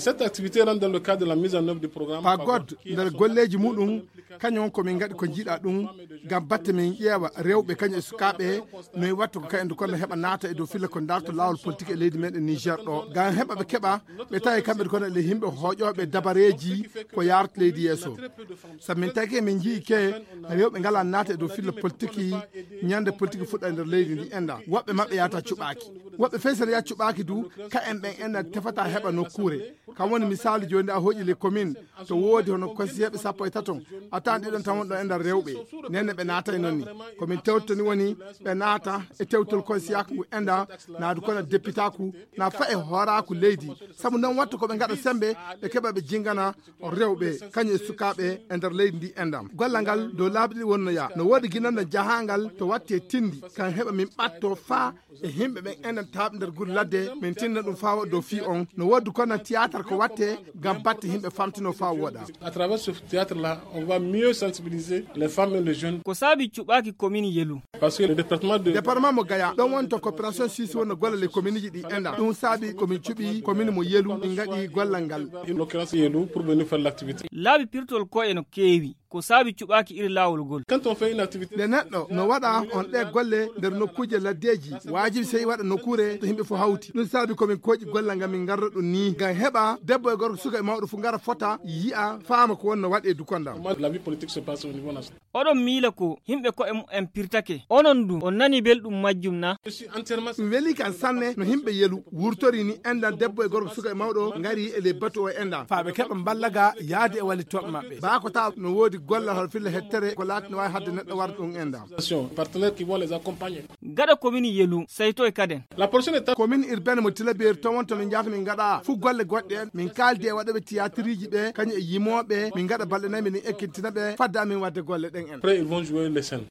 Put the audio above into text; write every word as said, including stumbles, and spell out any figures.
Cette activité rentre dans le cadre de la mise en œuvre du programme Pagod, nder golleeji muɗum, kañum ko min ngaɗi ko njiɗa ɗum, ngam batte min ƴeewa rewɓe kañum e sukaaɓe, no e wattu ko kayen kono heɓa naata e dow filla ko darto laawol politique e leydi meɗen Niger ɗo, ngam heɓa ɓe keɓa, ɓe tawi kamɓe kono le yimɓe hooƴooɓe dabareeji ko yaarta leydi yeeso. Sabu min taki min njii ke rewɓe ngala naata e dow filla politique, ñande politique fuɗɗa e nder leydi ndi enda. Woɓɓe maɓɓe yata cuɓaaki. Woɓɓe fey sen ya cuɓaaki du, ka en ɓen enda tefata heɓa nokkuure. Kam woni misaalu jooni a hooƴi les communes, to woodi hono konsiyeeɓe sappo e taton, a tawan ɗiɗon tan wonɗo e nder rewɓe. Nden ne ɓe naatay non ni. Ko min tewtoni woni ɓe naata e tewtol konsiyaaku ngu enda, naadu kono depitaaku, na fa e hooraaku leydi. Sabu non wattu ko ɓe ngaɗa sembe, ɓe keɓa ɓe jingana rewɓe, kañum e sukaaɓe e nder leydi ndi enda. Gollal ngal dow laabi ɗiɗi wonno yaa. No woodi ginanno jahangal to watti e tindi, kan heɓa min ɓatto fa e yimɓe ɓen enen taaɓe nder gure ladde, min tinna ɗum faa waɗa dow fii on. No woodi kono théâtre ko watte ngam batte yimɓe famtino faa wooɗa. À travers ce théâtre-là, on va mieux sensibiliser les femmes et les jeunes. Ko saabi cuɓaaki commune Yelu? Parce que le département de Département mo Gaya, ɗon woni to coopération suisse wonno golle les communeji ɗi enda. Ɗum saabi ko min cuɓi commune mo Yelu, min ngaɗi gollal ngal. En l'occurrence Yelu pour venir faire l'activité. Laabi pirtol koye no keewi. Ko saabi cuɓaaki iri laawol ngol? Quand on fait une activité, nde neɗɗo no waɗa on ɗe golle nder nokkuuje laddeeji, waajibi sey waɗa nokkuure to yimɓe fof hawti. Ɗum saabi ko min kooƴi golle ngam min ngarra ɗum ni, ngam heɓa debbo e gorko, suka e mawɗo fof ngara fota, yi'a, faama ko wonno waɗe dukondam. Comment la vie politique se passe au niveau national. Oɗon miila ko yimɓe koye mumen pirtake. Onon du, on nani belɗum majjum na? Je suis entièrement Mi weli kan sanne no yimɓe Yelu wurtori ni endan debbo e gorko, suka e mawɗo ngari e les bateaux o endan. Faa ɓe keɓa mballaga yaade e wallitooɓe maɓɓe. Baa ko taw no woodi gollal hoto filla hettere ko laati no waawi hadde neɗɗo warde ɗum endan. Partenaires qui vont les accompagner. Gaɗa commune Yelu, sayto e kaden. La prochaine étape. Commune urbaine mo Tilaberi to wonto min njahata min ngaɗa fu golle goɗɗe en. Min kaaldi e waɗooɓe théâtreji ɓe, kañum e yimooɓe, min ngaɗa balɗe nayi min ekkintina ɓe, fadda min waɗde golle ɗen en. Après, ils vont jouer les scènes.